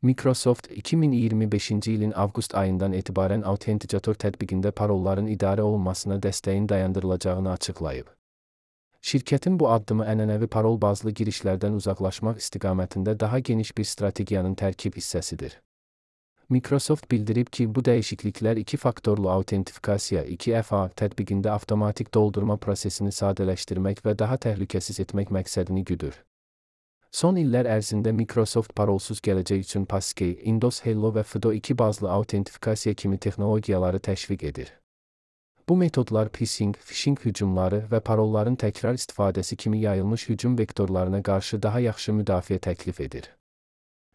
Microsoft, 2025-ci ilin avqust ayından etibarən Authenticator tətbiqində parolların idarə olunmasına dəstəyin dayandırılacağını açıqlayıb. Şirkətin bu addımı ənənəvi parol bazlı girişlərdən uzaqlaşmaq istiqamətində daha geniş bir strategiyanın tərkib hissəsidir. Microsoft bildirib ki, bu dəyişikliklər iki-faktorlu autentifikasiya 2FA tətbiqində avtomatik doldurma prosesini sadələşdirmək və daha təhlükəsiz etmək məqsədini güdür. Son illər ərzində Microsoft parolsuz gələcək üçün Passkey, Windows Hello və FIDO2 bazlı autentifikasiya kimi texnologiyaları təşviq edir. Bu metodlar phishing hücumları və parolların təkrar istifadəsi kimi yayılmış hücum vektorlarına qarşı daha yaxşı müdafiə təklif edir.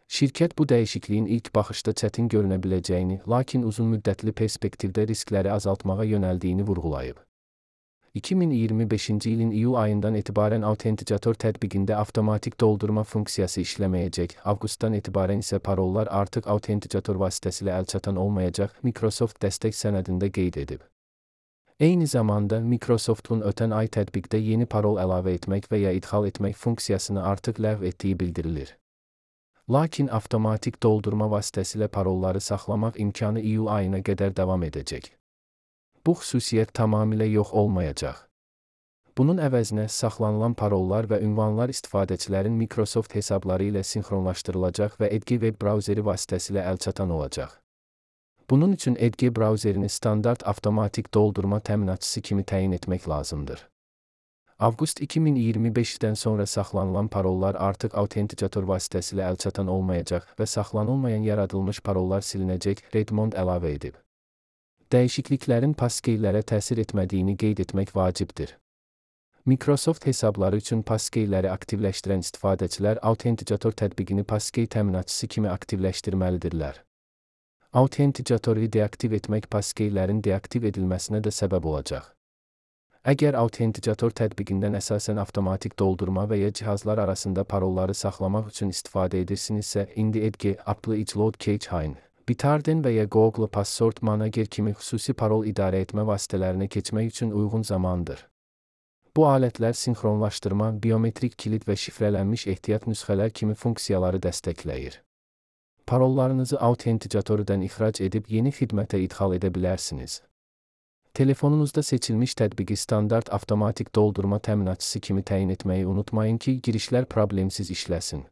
Şirkət bu dəyişikliyin ilk baxışda çətin görünə biləcəyini, lakin uzunmüddətli perspektivdə riskləri azaltmağa yönəldiyini vurğulayıb. 2025-ci ilin iyul ayından etibarən Authenticator tətbiqində avtomatik doldurma funksiyası işləməyəcək, avqustdan etibarən isə parollar artıq Authenticator vasitəsilə əlçatan olmayacaq, Microsoft dəstək sənədində qeyd edib. Eyni zamanda, Microsoftun ötən ay tətbiqdə yeni parol əlavə etmək və ya idxal etmək funksiyasını artıq ləğv etdiyi bildirilir. Lakin avtomatik doldurma vasitəsilə parolları saxlamaq imkanı iyul ayına qədər davam edəcək. Bu xüsusiyyət tamamilə yox olmayacaq. Bunun əvəzinə saxlanılan parollar və ünvanlar istifadəçilərin Microsoft hesabları ilə sinxronlaşdırılacaq və Edge web brauzeri vasitəsilə əlçatan olacaq. Bunun üçün Edge brauzerini standart avtomatik doldurma təminatçısı kimi təyin etmək lazımdır. Avqust 2025-dən sonra saxlanılan parollar artıq Authenticator vasitəsilə əlçatan olmayacaq və saxlanılmayan yaradılmış parollar silinəcək, Redmond əlavə edib. Dəyişikliklərin Passkeylərə təsir etmədiyini qeyd etmək vacibdir. Microsoft hesabları üçün Passkeyləri aktivləşdirən istifadəçilər Authenticator tətbiqini Passkey təminatçısı kimi aktivləşdirməlidirlər. Authenticatoru deaktiv etmək Passkeylərin deaktiv edilməsinə də səbəb olacaq. Əgər Authenticator tətbiqindən əsasən avtomatik doldurma və ya cihazlar arasında parolları saxlamaq üçün istifadə edirsinizsə, indi Edge, Apple iCloud Cache, Bitwarden və ya Google Password Manager kimi xüsusi parol idarə etmə vasitələrinə keçmək üçün uyğun zamandır. Bu alətlər sinxronlaşdırma, biometrik kilit və şifrələnmiş ehtiyat nüsxələr kimi funksiyaları dəstəkləyir. Parollarınızı Authenticatordan ixrac edib yeni xidmətə idxal edə bilərsiniz. Telefonunuzda seçilmiş tətbiqi standart avtomatik doldurma təminatçısı kimi təyin etməyi unutmayın ki, girişlər problemsiz işləsin.